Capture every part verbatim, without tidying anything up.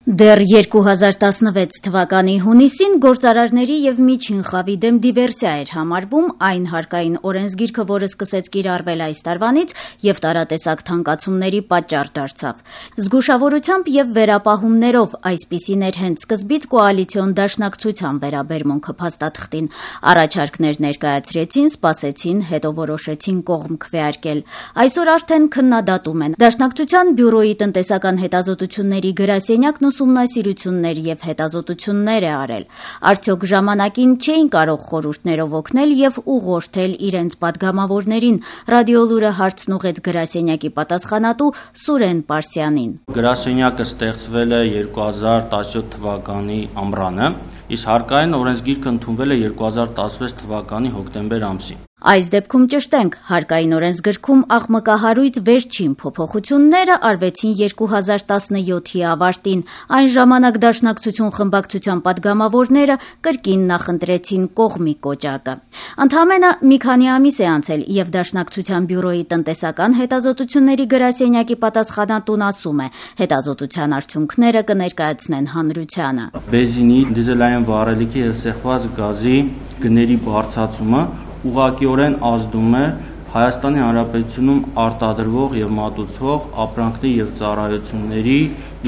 Դեռ երկու հազար տասնվեց թվականի հունիսին գործարարների եւ միջին խավի դեմ դիվերսիա էր համարվում այն հարկային օրենսգիրքը, որը սկսեց կիրառվել այս տարվանից եւ տարատեսակ թանկացումների պատճառ դարձավ։ Զգուշավորությամբ եւ վերապահումներով այսպիսին էր հենց սկզբից կոալիցիոն դաշնակցության վերաբերմունքը փաստաթղթին։ Առաջարկներ ներկայացրեցին, սպասեցին, հետո որոշեցին կողմ քվեարկել։ Այսօր արդեն քննադատում են Դաշնակցության բյուրոյի տնտեսական հետազոտությունների գրասենյակն ուսումնասիրություններ եւ հետազոտություններ է արել։ Արդյոք ժամանակին չէին կարող խորհուրդներով օգնել եւ ուղղորդել իրենց падգամավորներին։ Ռադիոլուրը հարցն ուղեց գրասենյակի պատասխանատու Սուրեն Պարսյանին։ Գրասենյակը ստեղծվել է երկու հազար տասնյոթ թվականի ամռանը, իսկ հարկային օրենսգիրքը ընդունվել է երկու հազար տասնվեց թվականի հոկտեմբեր ամսին։ Այս դեպքում ճշտենք, հարկային օրենսգրքում աղմկահարույց վերջին փոփոխությունները արվեցին երկու հազար տասնյոթի ավարտին։ Այն ժամանակ Դաշնակցություն խմբակցության падգամավորները կրկին նախընտրեցին կողմի կոճակը։ Ընդամենը մի քանի ամիս է անցել եւ Դաշնակցության բյուրոյի տնտեսական հետազոտությունների գրասենյակի պատասխանատուն ասում է, հետազոտության արդյունքները կներկայացնեն հանրությանը։ Բենզինի, դիզելային վառելիքի եւ սեղմված գազի գների բարձրացումը ուղղակիորեն ազդում է Հայաստանի Հանրապետությունում արտադրվող եւ մատուցվող ապրանքների եւ ծառայությունների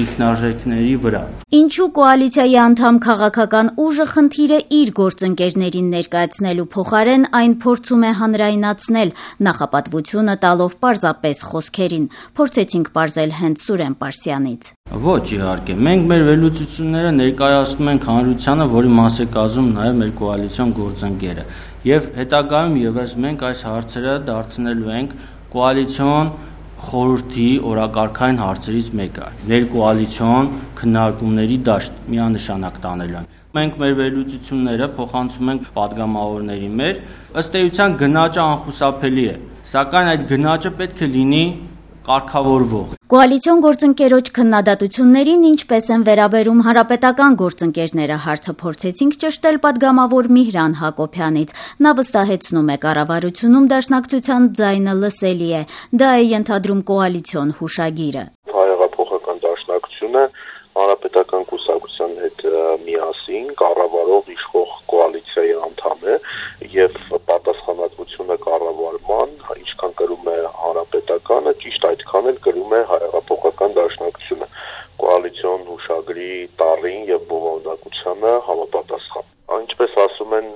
ինքնարժեքների վրա։ Ինչու կոալիցիայի անդամ քաղաքական ուժը խնդիրը իր գործընկերներին ներկայացնելու փոխարեն այն փորձում է հանրայնացնել, նախապատվությունը տալով պարզապես խոսքերին։ Փորձեցինք պարզել հենց Սուրեն Պարսյանից։ Ոչ, իհարկե, մենք մեր վերլուծությունները ներկայացնում ենք հանրությանը, որի մաս է կազմում նաեւ մեր կոալիցիոն գործընկերը։ Եվ հետագայում եւս մենք այս հարցերը դարձնելու ենք կոալիցիոն խորհրդի օրակարգային հարցերից մեկը, ներկոալիցիոն քննարկումների դաշտ միանշանակ տանելն։ Մենք մեր վերլուծությունները փոխանցում ենք падգամավորների մեր, ըստ էության գնաճը անխուսափելի է, սակայն այդ գնաճը պետք է լինի կարգավորվող։ Կոալիցիոն գործընկերոջ քննադատություններին ինչպես են վերաբերում հանրապետական գործընկերները հարցը փորձեցինք ճշտել падգամավոր Միհրան Հակոբյանից։ Նա վստահեցնում է կառավարությունում Դաշնակցության ձայնը լսելի է։ Դա է ենթադրում կոալիցիոն հուշագիրը։ Հայեղափոխական Դաշնակցությունը հանրապետական կուսակցության հետ միասին կառավարող իշխող կոալիցիայի անդամ է եւ պատասխանատվությունը կառավարման ինչքան կրում է հանրապետականը, ճիշտ այդքան էլ կրում է Հայեղափոխական Դաշնակցությունը կոալիցիոն հուշագրի տառին եւ բովանդակությանը համապատասխան։ Ինչպես ասում են,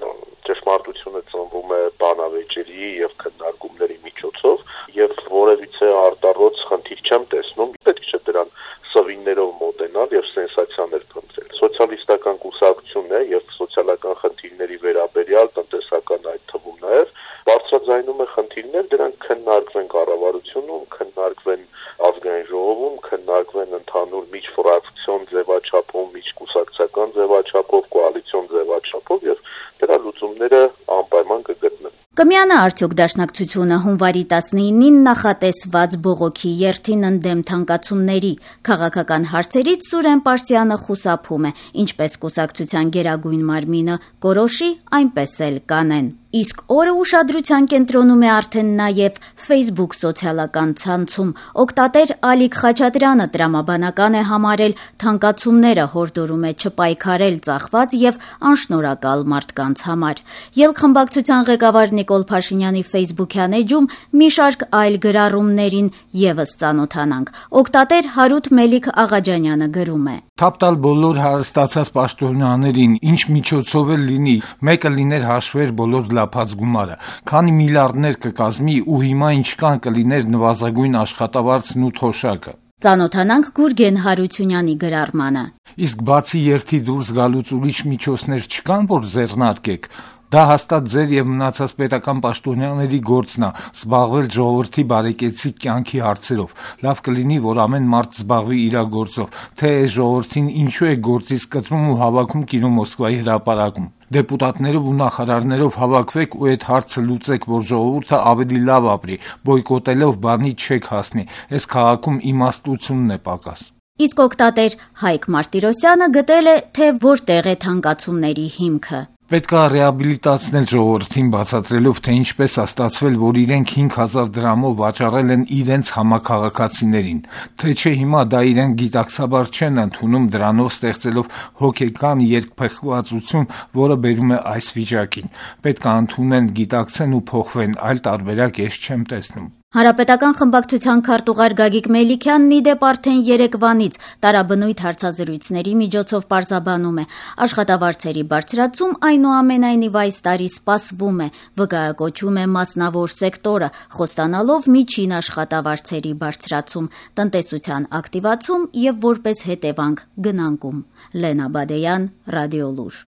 ճշմարտությունը ծնվում է բանավեճերի եւ քննարկումների միջոցով եւ որևիցե արտառոց խնդիր չեմ տեսնում, պետք չէ դրան սվիններով մոտենալ եւ սենսացիաներ փնտրել։ Սոցիալիստական կուսակցությունն է եւ սոցիալական խնդիրների վերաբերյալ տնտեսական այդ թվում նաեւ բարձրաձայնում է խնդիրներ, դրանք քննարկվեն կառավարությունում, քննարկվեն ազգային ժողովում, քննարկվեն ընդհանուր միջֆրակցիոն ձևաչափով, միջկուսակցական ձևաչափով, կոալիցիոն ձևաչափով եւ դրա լուծումները անպայման կգտնեն։ Կմիանա արդյոք Դաշնակցությունը հունվարի տասնինին նախատեսված բողոքի երթին ընդդեմ թանկացումների։ Քաղաքական հարցերից Սուրեն Պարսյանը խուսափում է, ինչպես կուսակցության գերագույն մարմինը կորոշի, այնպես էլ կանեն։ Իսկ օրը ուշադրության կենտրոնում է արդեն նաև Facebook սոցիալական ցանցում։ Օգտատեր Ալիկ Խաչատրյանը տրամաբանական է համարել թանկացումները, հորդորում է չպայքարել ծախված եւ անշնորհակալ մարդկանց համար։ Ելք-խմբակցության ղեկավար Նիկոլ Փաշինյանի Facebook-յան էջում մի շարք այլ գրառումներին եւս ծանոթանանք։ Օգտատեր Հարութ Մելիք Աղաջանյանը գրում է. Թափ տալ բոլոր հարստացած պաշտոնյաներին, ինչ միջոցով էլ լինի, մեկը լիներ հաշվեր բոլոր լափած գումարը, քանի միլիարդներ կկազմի ու հիմա ինչքան կլիներ նվազագույն աշխատավարձն ու թոշակը։ Ծանոթանանք Գուրգեն Հարությունյանի գրառմանը։ Իսկ բացի երթի դուրս գալուց ուրիշ միջոցներ չկան, որ ձեռնարկեք։ Դա հաստատ ձեր եւ մնացած պետական պաշտոնյաների գործն է զբաղվել ժողովրդի բարեկեցիկ կյանքի հարցերով։ Լավ կլինի, որ ամեն մարդ զբաղվի իր գործով, թե այս ժողովրդին ինչու է գործից կտրում ու հավաքում կինո Մոսկվայի հրապարակում։ Դեպուտատներով ու նախարարներով հավաքվեք ու այդ հարցը լուծեք, որ ժողովուրդը ավելի լավ ապրի, բոյկոտելով բանի չեք հասնի։ Այս քաղաքում իմաստությունն է պակաս։ Իսկ օգտատեր Հայկ Մարտիրոսյանը գտել է, թե որտեղ է թանկացումների հիմքը։ Պետք է ռեաբիլիտացնել ժողովրդին, բացատրելով, թե ինչպես է ստացվել, որ իրենք հինգ հազար դրամով վաճառել են իրենց համաքաղաքացիներին, թե չէ հիմա դա իրենք գիտակցաբար չեն ընդունում, դրանով ստեղծելով հոգեկան երկփեղկվածություն, որը բերում է այս վիճակին։ Պետք է ընդունեն, գիտակցեն ու փոխվեն, այլ տարբերակ ես չեմ տեսնում։ Հանրապետական խմբակցության քարտուղար Գագիկ Մելիքյանն ի դեպ արդեն երեկվանից տարաբնույթ հարցազրույցների միջոցով պարզաբանում է. աշխատավարձերի բարձրացում այնուամենայնիվ այս տարի սպասվում է, վկայակոչում է մասնավոր սեկտորը, խոստանալով միջին աշխատավարձերի բարձրացում, տնտեսության ակտիվացում եւ որպես հետևանք գնանկում։ Լենա Բադեյան, Ռադիոլուր։